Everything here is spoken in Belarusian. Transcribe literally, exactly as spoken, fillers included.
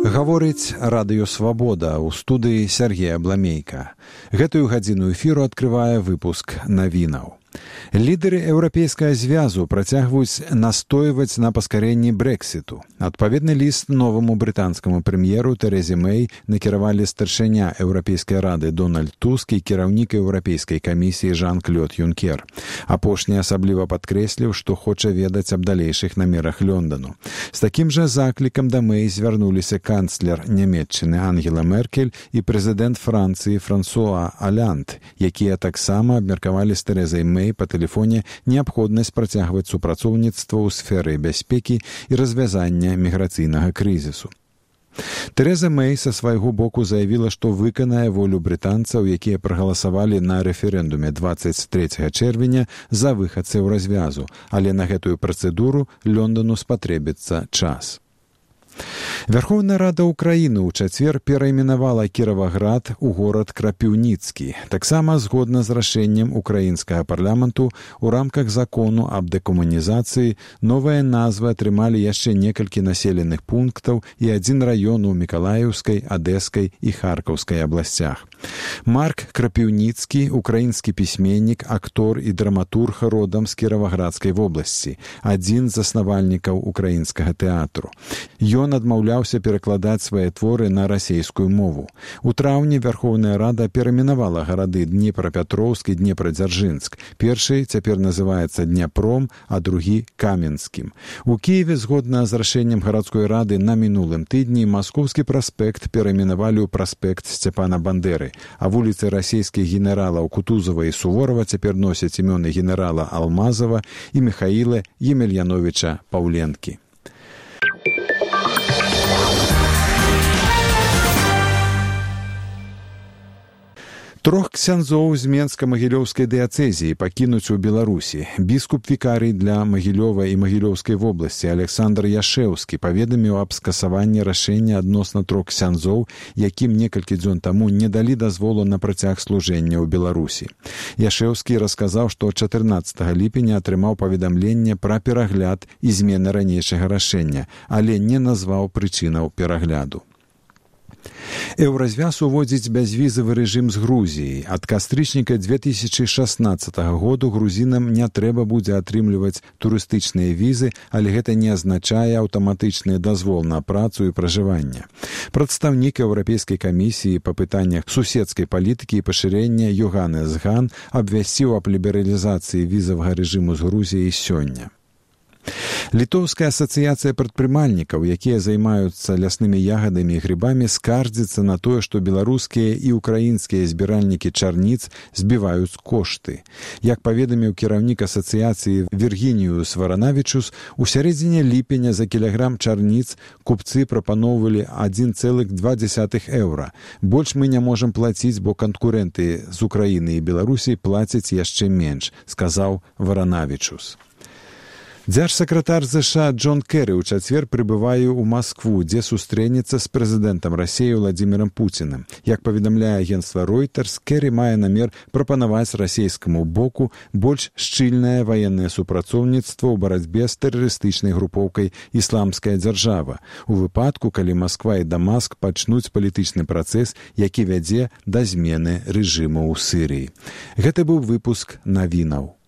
Гаворыць радыё «Свабода» ў студыі Сергея Бламейка. Гэтую гадзіну эфіру адкрывае выпуск навінаў. Лідеры Еўрапейскага звязу працягваюць настойваць на паскарэнні Брэксіту. Адпаведны ліст новаму брытанскаму прэм'еру Тэрэзе Мэй накіравалі старшыня Еўрапейскай рады Дональд Туск і кіраўнік Еўрапейскай камісіі Жан-Клод Юнкер. Апошні асабліва падкрэсліў, што хоча ведаць аб далейшых намерах Лондану. З такім жа заклікам да Мэй звярнуліся канцлер Нямецчыны Ангела Меркель і прэзідэнт Францыі Франсуа Аланд, якія таксама абмеркавалі з Тэрэзай Мэй па тэлефоне неабходнасць працягваць супрацоўніцтва ў сферы бяспекі і развязання міграцыйнага крызісу. Тэрэза Мэй са свайго боку заявіла, што выканае волю брытанцаў, якія прагаласавалі на рэферэндуме дваццаць трэцяга чэрвеня за выхадцаў развязу, але на гэтую працэдуру Лондану спатрэбіцца час. Верховная Рада Украіны ў чацвер перайменавала Кіраваград у горад Крапіўніцкі. Таксама згодна з рашэннем украінскага парламенту у рамках закону аб дэкамунізацыі новыя назвы атрымалі яшчэ некалькі населеных пунктаў і адзін раён у Мікалаеўскай, Адэскай і Харкаўскай абласцях. Марк Крапіўніцкі, украінскі пісьменнік, актор і драматург родам з Кіраваградскай вобласці, адзін з заснавальнікаў украінскага тэатру. Ён адмаўляўся перакладаць свае творы на расейскую мову. У траўні Верховная Рада перайменавала гарады Днепрапятроўск і Днепрадзяржынск. Першы цяпер называецца Дняпром, а другі Каменскім. У Кіеве, згодна з рашэннем гарадской рады на мінулым тыдні, Маскоўскі праспект перайменавалі ў праспект Сцяпана Бандеры, а вуліцы расійскіх генералаў Кутузова і Суворова цяпер носяць імёны генерала Алмазова і Міхаіла Емельяновіча Паўленкі. Трох ксяндзоў з Менска-Магілёўскай дыяцэзіі пакінуць у Беларусі. Біскуп-вікарый для Магілёва і Магілёўскай вобласці Александр Яшэўскі паведаміў аб скасаванні рашэння адносна трох ксяндзоў, якім некалькі дзён таму не далі дазволу на працяг служэння ў Беларусі. Яшэўскі расказаў, што чатырнаццатага ліпеня атрымаў паведамленне пра перагляд і змены ранейшага рашэння, але не назваў прычынаў перагляду. Еўразвяз уводзіць бязвізавы рэжым з Грузіяй. Ад кастрычніка дзве тысячы шаснаццатага году грузінам не трэба будзе атрымліваць турыстычныя візы, але гэта не азначае аўтаматычны дазвол на працу і пражыванне. Прадстаўнік Еўрапейскай камісіі па пытаннях суседскай палітыкі і пашырэння Йоханнес Ган абвясціў аб лібералізацыі візавага рэжыму з Грузіяй сёння. Літоўская асацыяцыя прадпрымальнікаў, якія займаюцца ляснымі ягадамі і грыбамі, скардзіцца на тое, што беларускія і украінскія збіральнікі чарніц збіваюць кошты. Як паведаміў кіраўнік асацыяцыі Віргініюс Варанавічус, у сярэдзіне ліпеня за кілаграм чарніц купцы прапаноўвалі адзін цэлых два дзесятых еўра. Больш мы не можам плаціць, бо канкурэнты з Украіны і Беларусі плацяць яшчэ менш, сказаў Варанавічус. Дзяржсакратар ЗША Джон Кэры ў чацвер прыбывае ў Маскву, дзе сустрэнецца з прэзідэнтам Расіі Владзімірам Пуцінам. Як паведамляе агенцтва Reuters, Кэры мае намер прапанаваць расійскаму боку больш шчыльнае ваеннае супрацоўніцтва ў барацьбе з тэрарыстычнай групоўкай «Ісламская дзяржава», у выпадку, калі Масква і Дамаск пачнуць палітычны працэс, які вядзе да змены рэжыму ў Сірыі. Гэта быў выпуск навінаў.